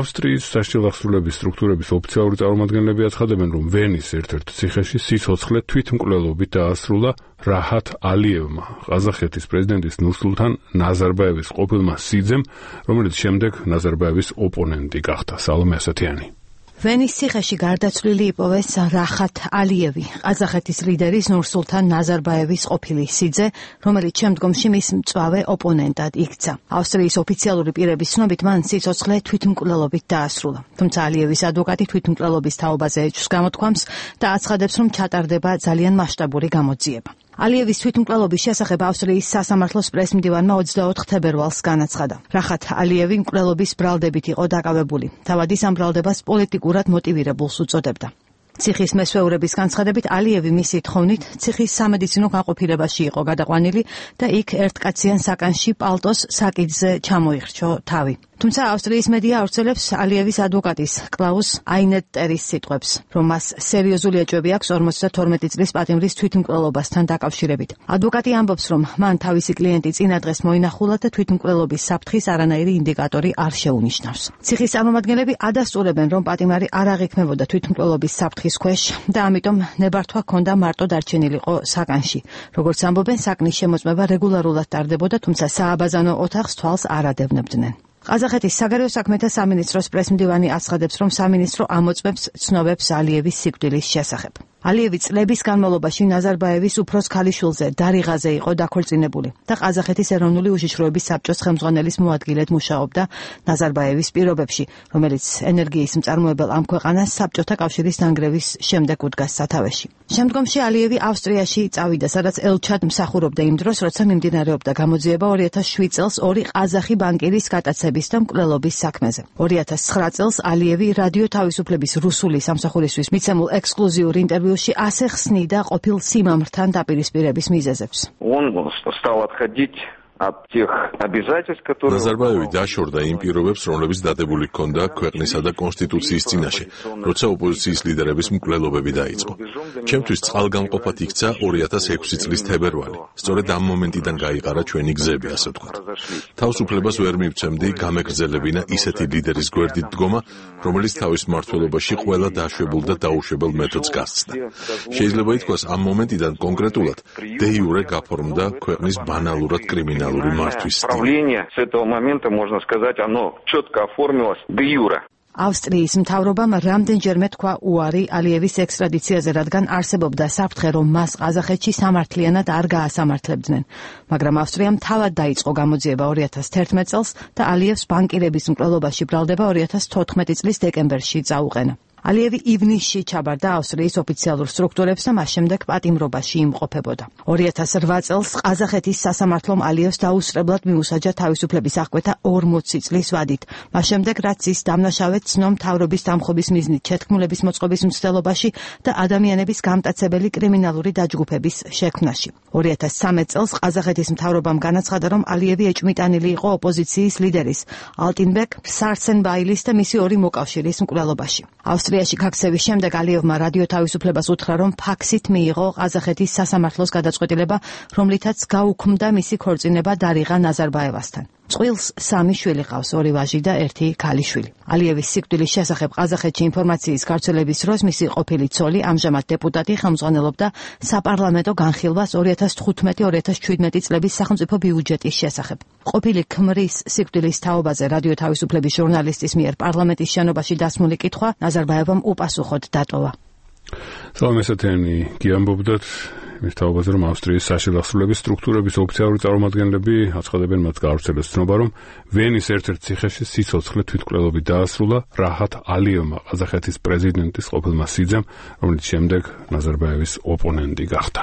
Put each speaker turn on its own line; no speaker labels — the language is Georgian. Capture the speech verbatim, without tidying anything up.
ავსტრიის საშილახსრულების სტრუქტურების ოფიციალური წარმომადგენლები აცხადებენ, რომ ვენის ერთ-ერთ ციხეში სიცოცხლე თვითმკვლელობით დაასრულა რაჰათ ალიევმა, ყაზახეთის პრეზიდენტის ნურსულთან ნაზარბაევის ყოფილმა სიძემ, რომელიც შემდეგ ნაზარბაევის ოპონენტი გახდა. სალომე ასათიანი.
ვენის ციხეში გარდაცვლილი იპოვეს რაჰათ ალიევი, ყაზახეთის ლიდერის ნურსულთან ნაზარბაევის ყოფილი სიძე, რომელიც შემდგომში მის მწვავე ოპონენტად იქცა. ავსტრიის ოფიციალური პირების ცნობით მან სიცოცხლე თვითმკვლელობით დაასრულა. თუმცა ალიევის ადვოკატი თვითმკვლელობის თაობაზე ეჭვს გამოთქვამს და აცხადებს, რომ ჩატარდება ძალიან მასშტაბური გამოძიება. ალიევის თვითმკვლელობის შესახებ ავსტრიის სასამართლოს პრესმდივანმა ოცდაოთხ თებერვალს განაცხადა. რაჰათ ალიევი მკვლელობის ბრალდებით იყო დაკავებული. თავად ის ამ ბრალდებას პოლიტიკურად მოტივირებულს უწოდებდა. ციხის მესვეურების განცხადებით ალიევი მისი თხოვნით ციხის სამედიცინო განყოფილებაში იყო გადაყვანილი და იქ ერთკაციან საკანში პალტოს საკიდზე ჩამოიხრჩო თავი. თუმცა ავსტრიის მედია ავრცელებს ალიევის ადვოკატის კლაუს აინეტტერის სიტყვებს, რომ მას სერიოზული ეჭვები აქვს ორმოცდათორმეტი წლის პატიმრის თვითმკვლელობასთან დაკავშირებით. ადვოკატი ამბობს, რომ მან თავისი კლიენტი წინა დღეს მოინახულა და თვითმკვლელობის საფრთხის არანაირი ინდიკატორი არ შეუნიშნავს. ციხის წარმომადგენლები ადასტურებენ, რომ პატიმარი არ აღიქმებოდა თვითმკვლელობის საფრთხის ქვეშ და ამიტომ ნებართვა ჰქონდა მარტო დარჩენილიყო საკანში. როგორც ამბობენ, საკნის შემოწმება რეგულარულად ტარდებოდა, თუმცა სააბაზანო ოთახს თვალს არ ადევნებდნენ. ყაზახეთის საგარეო საქმეთა სამინისტროს პრესმდივანი აცხადებს, რომ სამინისტრო ამოწმებს ცნობებს ალიევის სიკვდილის შესახებ. ალიევი წლების განმავლობაში ნაზარბაევის უფროს ქალიშვილზე დარიღაზე იყო დაქორწინებული და ყაზახეთის ეროვნული უშიშროების საბჭოს ხელმძღვანელის მოადგილედ მუშაობდა ნაზარბაევის პირობებში, რომელიც ენერგიის მწარმოებელ ამ ქვეყანას საბჭოთა კავშირის დანგრევის შემდეგ უდგას სათავეში. შემდგომში ალიევი ავსტრიაში წავიდა, სადაც ელჩად მსახურობდა იმ დროს, როცა მიმდინარეობდა გამოძიება ორი ათას შვიდ წელს ორი ყაზახი ბანკირის გატაცების და მკვლელობის საქმეზე. ორი ათას ცხრა წელს ალიევი რადიო თავისუფლების რუსული სამსახურისთვის მიცემულ ექსკლუზიურ ინტერვიუში ასე ხსნიდა ყოფილ სიმამრთან დაპირისპირების მიზეზებს.
ნაზარბაევი დაშორდა იმ პირობებს, რომლებიც დადებული ჰქონდა ქვეყნისა და კონსტიტუციის წინაშე, როცა ოპოზიციის ლიდერების მკვლელობები დაიწყო. ჩემთვის წყალგამყოფად იქცა ორი ათას ექვსი წლის თებერვალი. სწორედ ამ მომენტიდან გაიყარა ჩვენი გზები, ასე ვთქვათ. თავისუფლებას ვერ მივცემდი გამეგრძელებინა ისეთი ლიდერის გვერდით დგომა, რომელიც თავის მმართველობაში ყველა დაშვებულ და დაუშვებელ მეთოდს გასცდა. შეიძლება ითქვას, ამ მომენტიდან კონკრეტულად დე იურე გაფორმდა ქვეყნის ბანალურად კრიმინალური
Правление с этого момента, можно сказать, оно четко оформилось де юре.
ავსტრიის მთავრობამ რამდენჯერმე თქვა უარი ალიევის ექსტრადიციაზე, რადგან არსებობდა საფრთხე, რომ მას ყაზახეთში სამართლიანად არ გაასამართლებდნენ. მაგრამ ავსტრიამ თავად დაიწყო გამოძიება ორი ათას თერთმეტ წელს და ალიევს ბანკირების მკვლელობაში ბრალდება ორი ათას თოთხმეტი წლის დეკემბერში წაუყენა. ალიევი ივნისში ჩაბარდა ავსტრიის ოფიციალურ სტრუქტურებს და მას შემდეგ პატიმრობაში იმყოფებოდა. ორი ათას რვა წელს ყაზახეთის სასამართლომ ალიევს დაუსწრებლად მიუსაჯა თავისუფლების აღკვეთა ორმოცი წლის ვადით. მას შემდეგ, რაც ის დამნაშავედ ცნო მთავრობის დამხობის მიზნით შეთქმულების მოწყობის მცდელობაში და ადამიანების გამტაცებელი კრიმინალური დაჯგუფების შექმნაში. ორი ათას ცხრამეტ წელს ყაზახეთის მთავრობამ განაცხადა, რომ ალიევი ეჭვმიტანილი იყო ოპოზიციის ლიდერის ალტინბეკ სარცენბაილის და მისი ორი მოკავშირის მკვლელობაში. ავსტრიაში გაქცევის შემდეგ ალიევმა რადიო თავისუფლებას უთხრა, რომ ფაქსით მიიღო ყაზახეთის სასამართლოს გადაწყვეტილება, რომლითაც გაუქმდა მისი ქორწინება დარიღა ნაზარბაევასთან. წყვილს სამი შვილი ყავს, ორი ვაჟი და ერთი ქალიშვილი. ალიევის სიკვდილის შესახებ ყაზახეთში ინფორმაციის გავრცელების დროს მისი ყოფილი ცოლი, ამჟამად დეპუტატი, ხელმძღვანელობდა საპარლამენტო განხილვას ორი ათას თხუთმეტი ორი ათას შვიდმეტი წლების სახელმწიფო ბიუჯეტის შესახებ. ყოფილი ქმრის სიკვდილის თაობაზე რადიო თავისუფლების ჟურნალისტის მიერ პარლამენტის შენობაში დასმული კითხვა ნაზარბაევამ უპასუხოდ დატოვა.
სალომე ასათიანი გიამბობდათ მის თაობაზე, რომ ავსტრიის საშილახსრულების სტრუქტურების ოფიციალური წარმომადგენლები აცხადებენ, მათ გაავრცელეს ცნობა, რომ ვენის ერთ-ერთ ციხეში სიცოცხლე თვითმკვლელობით დაასრულა რაჰათ ალიევმა, ყაზახეთის პრეზიდენტის ყოფილმა სიძემ, რომელიც შემდეგ ნაზარბაევის ოპონენტი გახდა.